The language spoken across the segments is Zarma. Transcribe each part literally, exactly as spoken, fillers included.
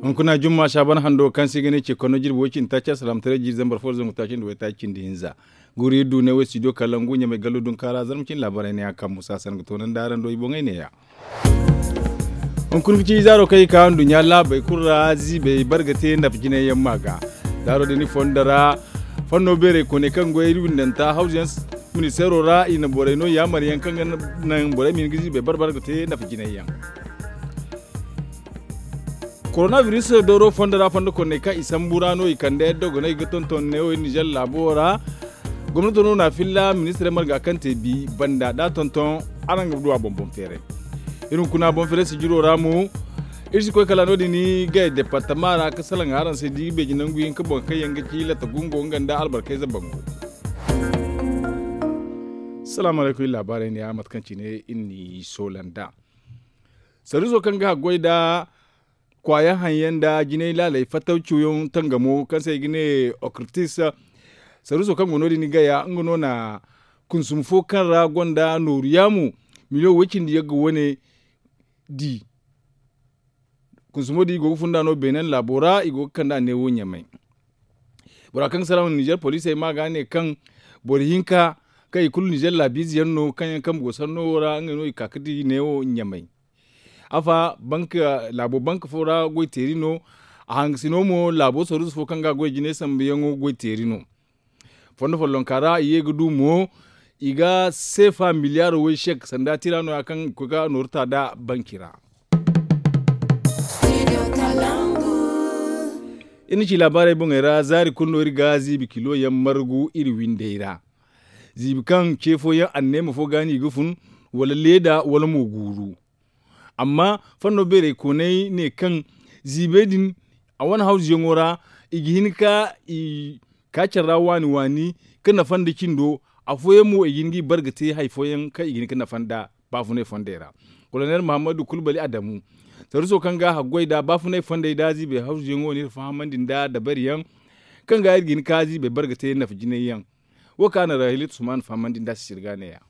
Hunkuna jumma saaban hando kaŋ se i ga ne ce konno jirbi way cindi taaci alsalaamataray jiiri zambar fo da zangu taaci nda waytaaci cindi hinza. Guuru iri du ne wo studio kalangu ɲamay gallo dunkaara zarma cine laabaarey ne a kaŋ musa sangu toonandi araŋ do i boŋey ne-ya. Hunkuna ga ci zaaro kaŋ i ka nduɲɲa laabey kulu ra ziibey barga te nafa jinay yaŋ ma ga. Zaaro din i fondo ra fanno beerey kooney kaŋ goy iri windanta hawzu yaŋ ministeero ra i na borey no yaamar yaŋ kaŋ ga naŋ borey ma hin ga ziibey barbar ga te nafa jinay yaŋ. Koronabiris dooro fondo ra fondo konney kaŋ i sambu ra no i kande dogoney ga tonton neewo iri nizer laabo ra. Gomnato no na filla ministirey marga kaŋ te bi banda da tonton araŋ ga du a boŋ boŋ feeray. Iri hunkuna boŋ feeray sijiro ra mo iri si koy kala no- din gay departama ra ga salaŋ araŋ se da i ga beeji nangu hinka boŋ kaŋ yaŋ ga ci latta gungo nga nda albarkayze bango. Salaamu alaykum iri laabaarey ne ya mate kaŋ cine iri n'i soola nd'a. Sarriso kaŋ ga haggoy nda kwaaya haŋ yaŋ nda jinay laaley fattaw ciwyaŋ tangamo kaŋ se i ga ne okritis. Sarriso kaŋ go no- din gaya nga no na kunsum fo kaŋ ra gonda nooru yaamu miliyoŋ way cindi yagga wane di. Kunsumo din i go ga funda no beenen laabo ra i go ga kand'a neewo ɲamay. Bora kaŋ ga salaŋ nizer poliisey ma ga ne kaŋ boro hinka kaŋ i kulu nizer laabiize yaŋ no kaŋ yaŋ kambe go sanno wo ra ngey no i ka ga di neewo ɲamay. Afa laabo banka fo ra goyteeri no. A hangasino mo laabo saruusu fo kaŋ ga a goy jinay sambuyaŋo goyteeri no. Fondo follonka ra i ye ga du mo i ga seefa miliyaaro way sek sanda tira no- ya kaŋ i ga koy ga nooru ta nd'a banki ra. Iri na ci laabaarey boŋey ra zaari kulu no iri ga ziibi kilo yaŋ margu iri windey ra. Ziibi kaŋ ce fooyaŋ anneema fo ga no i ga fun wala leeda wala mo guuru. Amma fanno beerey koonay ne kaŋ ziibey din a wane hawzuyaŋo ra i ga hin ka i kaacar ra waani waani ka nafa nda cindo. Afooyaŋ mo i ga hin ga i bare ga te hari fooyaŋ kaŋ i ga hin ga nafa nd'a baafunay fondey ra. Kolonel muhammadu kulbali adamu sarruso kaŋ ga a haggoy nd'a baafunay fondey nd'a ziibey hawzuyaŋo no iri fahamandi nd'a dabariyaŋ kaŋ ga iri ga hin ka ziibey bare ga te nafa jinay yaŋ. Wo kaŋ a na rahilatu suman fahamandi nd'a sisiri ga ne- ya.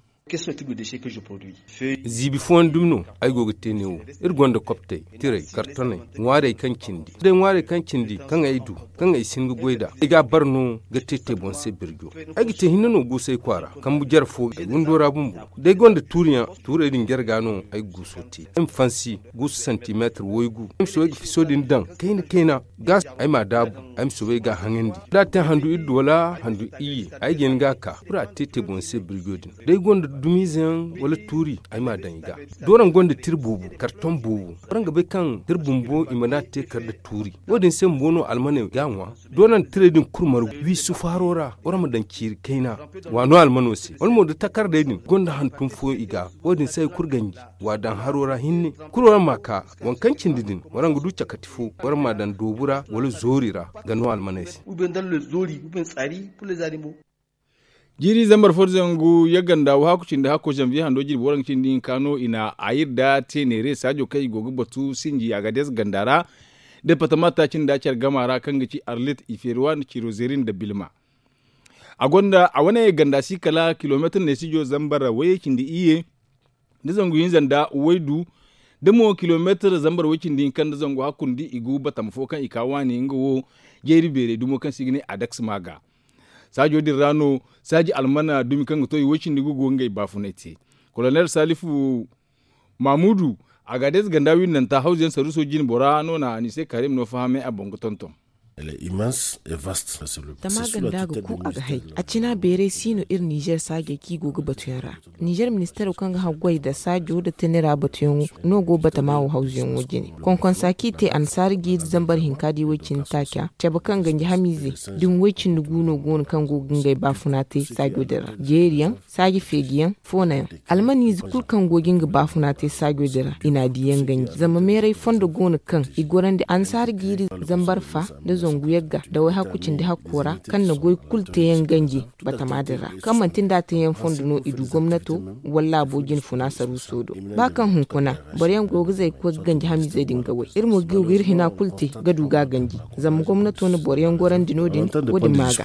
Ziibi fooyaŋ dumi no ay go ga te neewo. Iri gonda koptey, tirey, kartoney, ŋwaarey kaŋ cindi day ŋwaarey kaŋ cindi kaŋ ay du kaŋ ay si hin ga goy nd'a ay ga a bare no ga te te boŋ se birjo. Ay ga te hinne no guusay kwaara kambu jare fo ay windo ra bumbo. Day gonda tuuriyaŋ tuurey din jare ga no ay ga guuso te ay ma fansi guusu santimeetir waygu ay ma soobay ga fiso din daŋ kayna kayna ga ay m'a daabu ay ma soobay ga a haŋandi da a te handu iddu wala handu iyye ay ga hin ga a ka kulu a te te boŋ se birjo din. Da ay gonda dumiize yaŋ wala tuuri ay m'a daŋ i ga. Da waraŋ gonda tira boobo karton boobo waraŋ ga bay kaŋ tira bumbo i mana te kar nda tuuri. Wo- din se bumbo no almaney ga a ŋwa. Da waraŋ tirey din kulu margu wi sufaaro ra waraŋ ma daŋ ciiri kayna waano almano se wala mo da takardey din gonda hantum fooyaŋ i ga. Wo- din se hari kulu ganji wa daŋ haro ra hinne kulu waraŋ m'a ka waŋ kaŋ cindi din waraŋ ga du cakati fo waraŋ m'a daŋ doobu ra wala zoori ra ga no almaney se. Jiiri zambar fo da zangu yagga nda wahakku cindi hakko zanviye hando jirbi waranka cindi hinka no i na a iri da te neere saajo kaŋ i go ga batu sinji agades ganda ra. Departama taaci nda care gama ra kaŋ ga ci arlit ifeeruwa nda cirozeeri nda bilma. A gonda a wane ganda si kala kilomeetir neesijo zambar wayey cindi iyye da zangu hinza nda waydu da mo kilomeetir zambar way cindi hinka nda zangu hakkundi i gu batama fo kaŋ i ka waani nga wo jeeri beerey dumo kaŋ se i ga ne adaks ma ga. Saajo din ra no saaji almana dumi kaŋ ga to i way cindi ga go ngey baafunay te. Kolonel salifu mamudu, agadez ganda windanta hawzuyaŋ saruuso jine bora no na anise karim no fahamay a boŋ ga tonton. Tama ganda ga ku a ga hay a cina beeray si no iri nizer saajey kaŋ i go ga batuyaŋ ra. Nizer ministero kaŋ ga haggoy nda saajo nda tanera batuyaŋo no go batama wo hawzuyaŋo jine. Konkonsa kaŋ i te annasaara jiiri zambar hinka da i way cindi taaca cabe kaŋ ganji hamiizey da ni way cindi gu no go no kaŋ go ga ngey baafuna te saajo din ra jeeriyaŋ saaji feejiyaŋ foonayaŋ. Almaniize kulu kaŋ go ga nga baafuna te saajo din ra i n'a diiyaŋ ganji zama meeray fondo go no kaŋ i gorandi annasaara jiiri zambar fa nda zangu yagga nda wayhakku cindi hakko ra kaŋ na goy kulu teeyaŋ ganji batama din ra kaŋ manti nda a teeyaŋ fondo no i du gomnato wala laabo jinfuna saruuso do. Ba kaŋ hunkuna boro yaŋ go ga zay ga koy ga ganji hamiizey din ga way iri mo ga iri hina kulu te ga du ga a ganji. Zama gomnato na boro yaŋ gorandi no- din wo- din ma ga.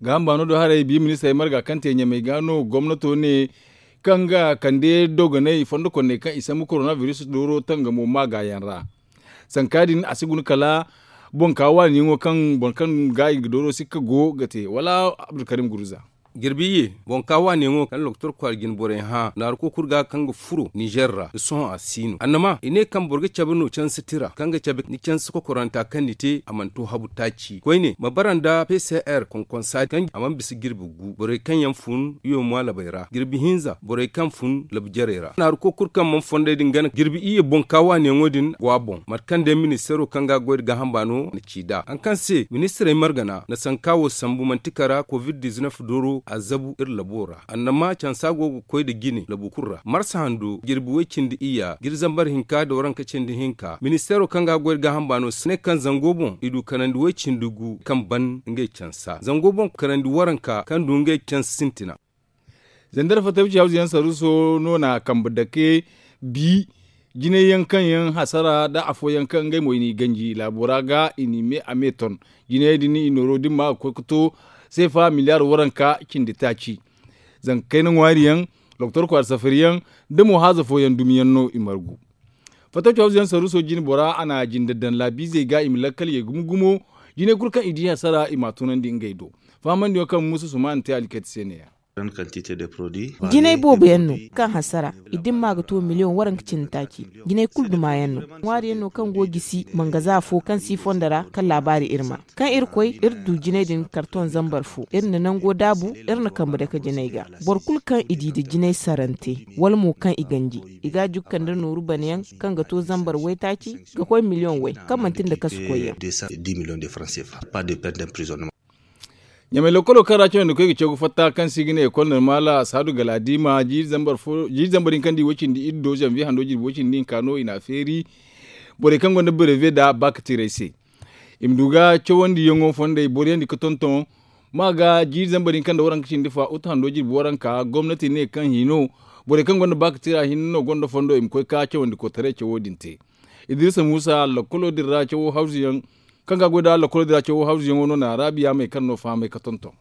Gaaham baano do haray bi ministirey marga kaŋ te ɲamey ga no gomnato ne kaŋ ga kande dogonay fondo konney kaŋ i sambu korona biris dooro tangamo maagaayaŋ ra. Sanka din a si guna kala boŋ ka waaniyaŋo kaŋ boro kaŋ ga i ga dooro sikka go ga te wala abdulkarim guruza. Jirbi iyye boŋ ka waaniyaŋo kaŋ lokotor kwaara jine borey hã naaru kokur ga kaŋ ga furo ninzeer ra da sohõ a si no annama i ne kaŋ boro ga cabe no canse tira kaŋ ga cabe ni canse kokoranta kaŋ ni te a mana to habu taaci koyne ma bara nda pcr konkonsa kaŋ a mana bisa jirbi gu borey kaŋ yaŋ fun iyo maalabey ra jirbi hinza borey kaŋ fun labu jarey ra naaru kokur kaŋ mana fondey din gana jirbi iyye boŋ ka waaniyaŋo din go a boŋ mate kaŋ day ministeero kaŋ ga a goy nda gaaham baano na ci nd'a haŋ kaŋ se ministirey margana na sanka wo sambu manti kara covid dizinef dooro a zabu iri labo ra annama cansa go ga koy nda jine labu kulu ra marsa hando jirbi way-cindi iyya jirbi zambar hinka nda waranka cindi hinka ministeero kaŋ ga a goy nda gaaham baano si ne kaŋ zango boŋ i du kanandi way-cindi gu kaŋ ban ngey cansa zango boŋ kanandi waranka kaŋ du ngey cansa sintina. Zandar fatawci hawzuyaŋ saruuso no na kambe dake bi jinay yaŋ kaŋ yaŋ hasara nda afooyaŋ kaŋ ngey mo i n'i ganji laabo ra ga i n'i me a me ton jinayey din i nooro da ni ma ga koy ga to seefa miliyaar waranka cindi taaci. Zanka kayna ŋwaari yaŋ doktor kwaara safari yaŋ nda mo haaza fooyaŋ dumi yaŋ no i margu. Fatawci hawzuyaŋ saruuso jine bora a na jinde daŋ laabiizey ga i ma lakkal ye gumo gumo jinay kulu kaŋ i di hasara i m'a tunandi ngey do. Fahamandiyaŋo kaŋ muusa sumaana te alkati se ne- ya. Jinay boobo yaŋ no kaŋ hasara i dimma ga to miliyoŋ waranka cindi taaci. Jinay kulu duma yaŋ no ŋwaari yaŋ no kaŋ go ga gisi mangaza fo kaŋ si fondo ra kaŋ laabaari iri ma kaŋ iri koy iri du jinay din karton zambar fo iri na nango daabu iri na kambe dake jinay ga. Boro kulu kaŋ i di nda jinay sarante wala mo kaŋ i ganji i ga a jukka nda nooru bana yaŋ kaŋ ga to zambar waytaaci ga koy miliyoŋ way kaŋ manti nda kasu koy yaŋ. Ɲamay lokkolo kaŋ ra cawandi koy ga caw ga fatta kaŋ se i ga ne ekol normaala saadu galaadiima jiiri zambar din kaŋ di way-cindi iri do zanviye hando jirbi way-cindi hinka no i n'a feeri borey kaŋ gonda berewe nda baakatiirey se. I ma du ga cawandiyaŋo fondey boro yaŋ di ga tonton ma ga jiiri zambar din kaŋ nda waranka cindi fa utu hando jirbi waranka gomnati ne kaŋ hino borey kaŋ gonda baakatiira hinne no gonda fondo i ma koy ka cawandi koytaray cawo din te. Idirisa muusa lakkolo din ra cawo hawzuyaŋ kaŋ ga a goy nda lakkolo din ra cawo hawzuyaŋo no na raabiya may kaŋ no fahamay ga tonton.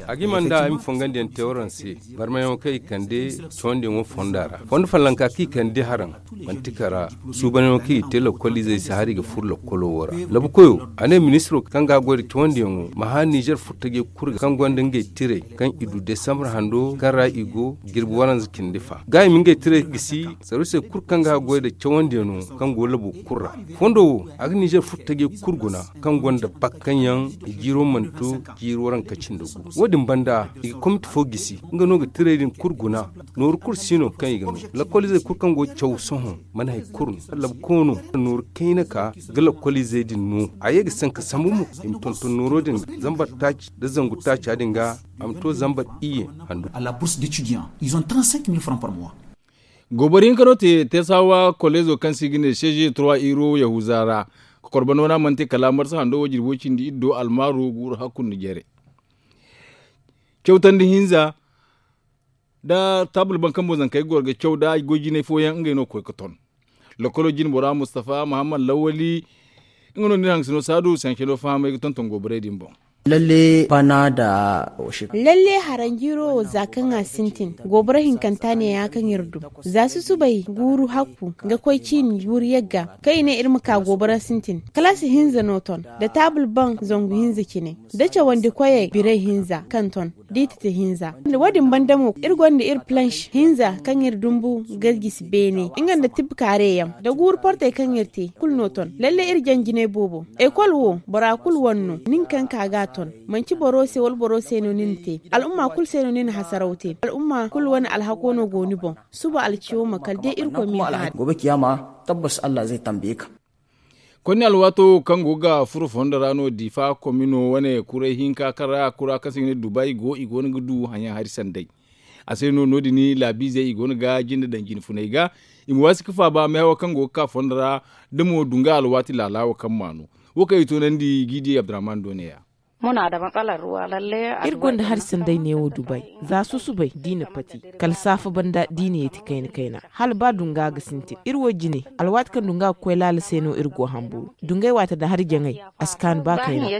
A ga hima nda ay ma fongandiyaŋ te waraŋ se barmayaŋo kaŋ i kande cawandiyaŋo fonda ra fondo fallanka kaŋ i kande haraŋ manti kara suubanyaŋo kaŋ i te lakkol izey se hari i ga furo lakkolo wo ra labu koyo a ne ministiro kaŋ ga a goy nda cawandiyaŋo ma hã nizer furtajey kulu ga kaŋ gonda ngey tirey kaŋ i du desambre hando kaŋ ra i go jirbi waranza cindi fa ga i ma ngey tirey gisi sarusey kulu kaŋ ga goy nda cawandiyaŋo kaŋ go labo kulu ra fondo wo a ga nizer furtajey kulu guna kaŋ gonda bak kaŋ yaŋ i jiiro mana to jiiri waranka cindi gu wo- din banda i ga komiti fo gisi nga no ga tirey din kulu guna nooru kulu si no kaŋ i ga no lakkol izey kulu kaŋ go ga caw sohõ mana hari kulu no labu koono nooru kayna ka ga lakkol izey din no a ye ga sanka sambu mo i ma tonton nooro din zambar taaci nda zangu taaca din ga a ma to zambar iyye handu. Gooboro hinka no te teesawa koleezo kaŋ se i ga ne seeze trois iro yahuza ra kokorba no no a mana te kala marsa hando wo jirbi way-cindi iri do almaaro guuru hakku nda jare. Cawtandi hinza nda taabul baŋ kaŋ boŋ zankey ga goro ga caw nda goy jinay fooyaŋ ngey no ga koy ga ton. Lokkolo jine bora mustafa muhammad lawali nga no nda iri haŋgasino saadu sansano fahamay ga tonton gooborey din boŋ. Lalle bana da lalle haranjiiro wo za kaŋ a sintin gooboro hinkanta neeya kaŋ iri du za susubay guuru hakku ga koy ciini guuru yagga kaŋ i ne iri ma ka gooboro sintin kalaasi hinza no ton da taabul baŋ zangu hinza cine da cawandi koyey biray hinza kaŋ ton da i tete hinza. Wo- din banda mo iri gonda iri planche hinza kaŋ iri dumbu ga gisi beene nga nda tibkaare yaŋ da guuru portey kaŋ iri te kulu no ton lalle iri jaŋ jinay boobo. Ekol wo bora kulu wane no nin kaŋ ka ga a ton manci boro se wala boro se no ni na te al'umma kulu se no ni na hasaraw te al'umma kulu wane alhako no go ni boŋ. Suba alciyo ma kala day irkoy ma i ga hari. Gobe kiyama tabbas allah zai tambaye ka. Konni alwaato kaŋ go ga furo fondo ra no difa komino wane kuray hinka kaŋ ra kura kaŋ se i ga ne dubay go i go no ga du haŋyaŋ hari sanday. A se no no- din laabiizey i go no ga jinde daŋ jine funay ga i ma waasi ga faaba meehawo kaŋ go ga ka fondo ra da mo dunga alwaati laala wo kaŋ ma no. Wo kaŋ i toonandi gidi abdurrahman do ne- ya. Iri gonda hari sanday neewo dubay, za susubay da i na pati, kala saafa banda da i na yeeti kayna kayna, hala ba dunga ga sintin iri wo jine. Alwaati kaŋ dunga ga koy laala se no iri go hamburu dungay waate nda hari jaŋay, a si kaanu ba kayna.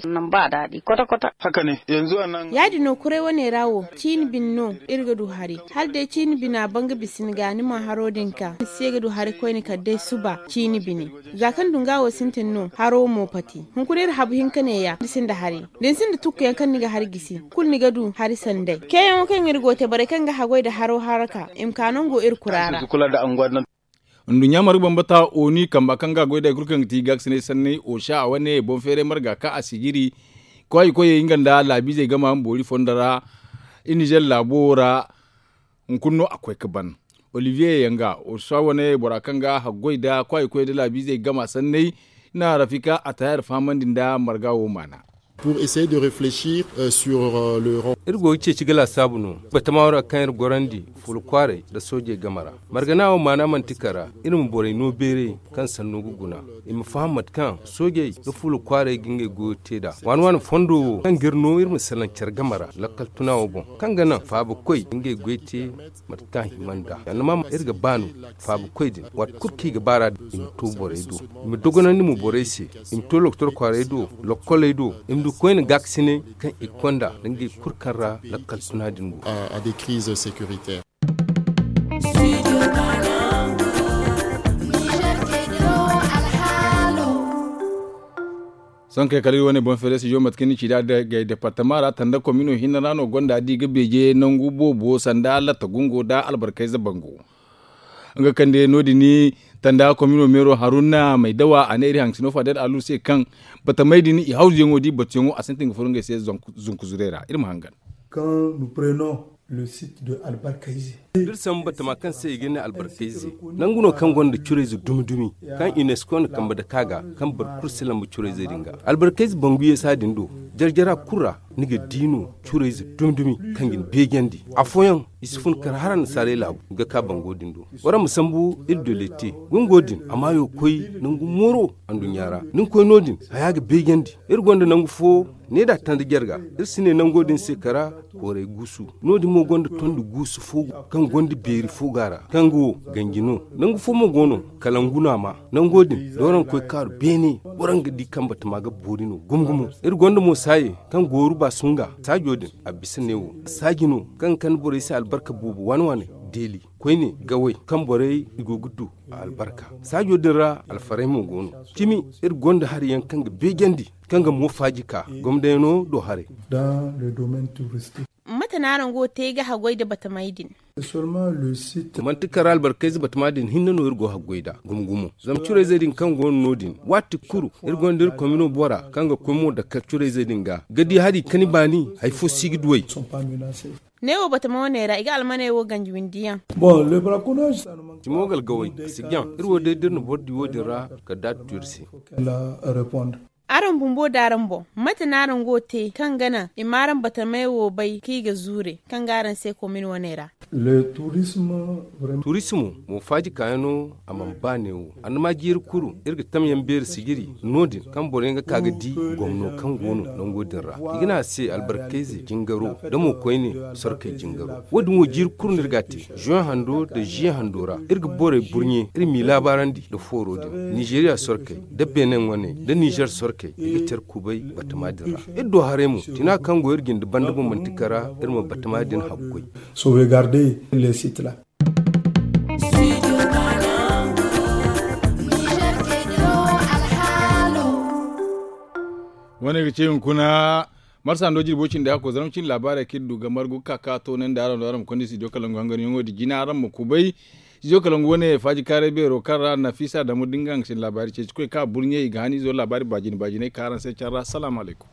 Ya- din no kuray wane ra wo, ciini bine no iri ga du hari. Hala day ciini bina ban ga bisa ni ga ni ma haro din ka ni se ga du hari koyne kala day suba ciini bine. Za kaŋ dunga wo sintin no haro mo pati. Hunkuna iri habu hinka neeya iri sinda hari. Da ni sinda tukkuyaŋ kaŋ ni ga hari gisi, kulu ni ga du hari sanday. Keeyaŋo kaŋ iri go ga te borey kaŋ ga haggoy nda haro haraka i ma ka nango iri kura ra. Nduɲɲa marga bambata oni kamba kaŋ ga goy da hari kulu kaŋ ga ti gaakasinay sanney osa a wane boŋ feeray marga kaŋ a sijiri. Koy koyey nga nda laabiizey gama boori fondo ra. Iri nizer laabo ra. Hunkuna no a koy ga ban olivier yanga osa wane bora kaŋ ga haggoy nda koy koyey nda laabiizey gama sanney. Na rafika a tayar fahamandi nda marga wo maana. Iri go ga ceeci ga laasaabu no batama wo ra kaŋ iri gorandi fuula kwaaray nda soojey game ra. Margana wo maana manti kara iri ma borey no beeray kaŋ sanno ga guna. I ma faham mate kaŋ soojey nda fuula kwaaray ga ngey goyo te nd'a waani waani fondo wo kaŋ ga iri no iri ma salaŋ care game ra lakkal tuna wo boŋ, kaŋ ga naŋ faabakoy ga ngey goy te. Mate kaŋ a hima nd'a yannama iri ga ba no faabakoy din waati kulu kaŋ i ga baar'a din i ma to borey do, i ma dogonandi mo borey se, i ma to lokotor kwaaray do, lokkoley do, i ma du koyne gaakasinay kaŋ i ga konda nda ngey kulu kaŋ ra lakkal tuna din go. Sohõ kay kala iri wane boŋ feere studio mate kaŋ ni ci nd'a gay departama ra tanda komino hinne ra no gonda da i ga beeje nangu boobo sanda latta gungo nda albarkayze bango. Nga kaŋ day no- din tanda komino meero haruna may dawa a ne iri haŋ sino fadel alu se kaŋ batamey din i hawzuyaŋo da i batuyaŋo a sintin ga furo ngey se zunku zurey ra iri ma hangan. Kaŋ nu preno le site de albarkayze da iri sambu batama kaŋ se i ga ne albarkayze nangu no kaŋ gonda curayze dumi dumi kaŋ unesco na kambe dake a ga kaŋ boro kulu si lamba curayzey din ga. Albarkayze bangu yeesa din do jare jara kulu ra ni ga di no curayze dumi dumi kaŋ ga ni beejandi afooyaŋ i si fun kar har annasaarey laabu ga ka bango din do. Waraŋ ma sambu iri do lette gungo din a maayo koy nangu mooro anduɲɲa ra. Ni ga koy no- din haya ga beejandi. Iri gonda nangu fo ne da tanda jarga iri si ne nango din se kara koray guusu. No- din mo gonda tondi guusu fo kaŋ gonda beeri fo ga a ra kaŋ ga wo ganji no. Nangu fo mo go no kalangu no a ma nango din da waraŋ koy kaaru beene waraŋ ga di kaŋ batama ga boori no gumo gumo. Iri gonda mo saaye kaŋ gooru baasunga saajo din a bisa neewo saaji no kaŋ ga kande borey se albarka boobo waani waaney deeli koyne gawey kaŋ borey i go ga du a albarka. Saajo din ra alfarey mo go no cimi iri gonda hari yaŋ kaŋ ga beejandi kaŋ ga mo faaji ka gomdayano do haray. Mate no araŋ go ga te ga haggoy nda batamey din? Manti kara albarkayze batama din hinne no iri go ga haggoy nd'a gumo gumo zama curayzey din kaŋ go no no- din waati kulu iri gonda iri komino bora kaŋ ga koy mo dakkal curayzey din ga ga di hari kani baani hari fo si ga duw'ey. Neewo batama wane ra i ga almaney wo ganji windiyaŋ. Cimo ga algawey a si jaŋ iri wo day da iri na boro di wo- din ra kala da a tutu iri se. Araŋ bumbo da araŋ boŋ mate no araŋ go ga te kaŋ ga naŋ i ma araŋ batamey wo bay kaŋ i ga zuure kaŋ ga araŋ se komin wane ra? Turismo mo faaji kaayaŋo a mana ba neewo. Annama jiiri kulu iri ga tamyaŋ beeri sijiri no- din kaŋ boroyaŋ ga ka ga di gomno kaŋ go no nango din ra i ga ne a se albarkayze jingaro da mo koyne sorkey jingaro. Wo- din wo jiiri kulu no iri ga a te juwen hando nda ziye hando ra iri ga borey burɲe iri m'i laabaarandi nda fooro din nizeriya sorkey nda benin wane nda nizer sorkey i ga care kubay batama din ra. Iri do haray mo tina kaŋ go iri jinde banda boŋ manti kara iri ma batama din haggoy. Wane ga ce hunkuna marsa ndo jirbo cindi hakko zarma cindi laabaarey kaŋ iri du ga margu ga ka ka toonandi araŋ do araŋ ma konda studio kalangu hanganyaŋo din jina araŋ ma kubay. Studio kalangu wane faaji kaaray beero kaŋ ra nafisa damu da nga nga cindi laabaari ceeci koy ka burɲe i ga han izo laabaari baajine baajiney ka araŋ se care ra salaamu alaykum.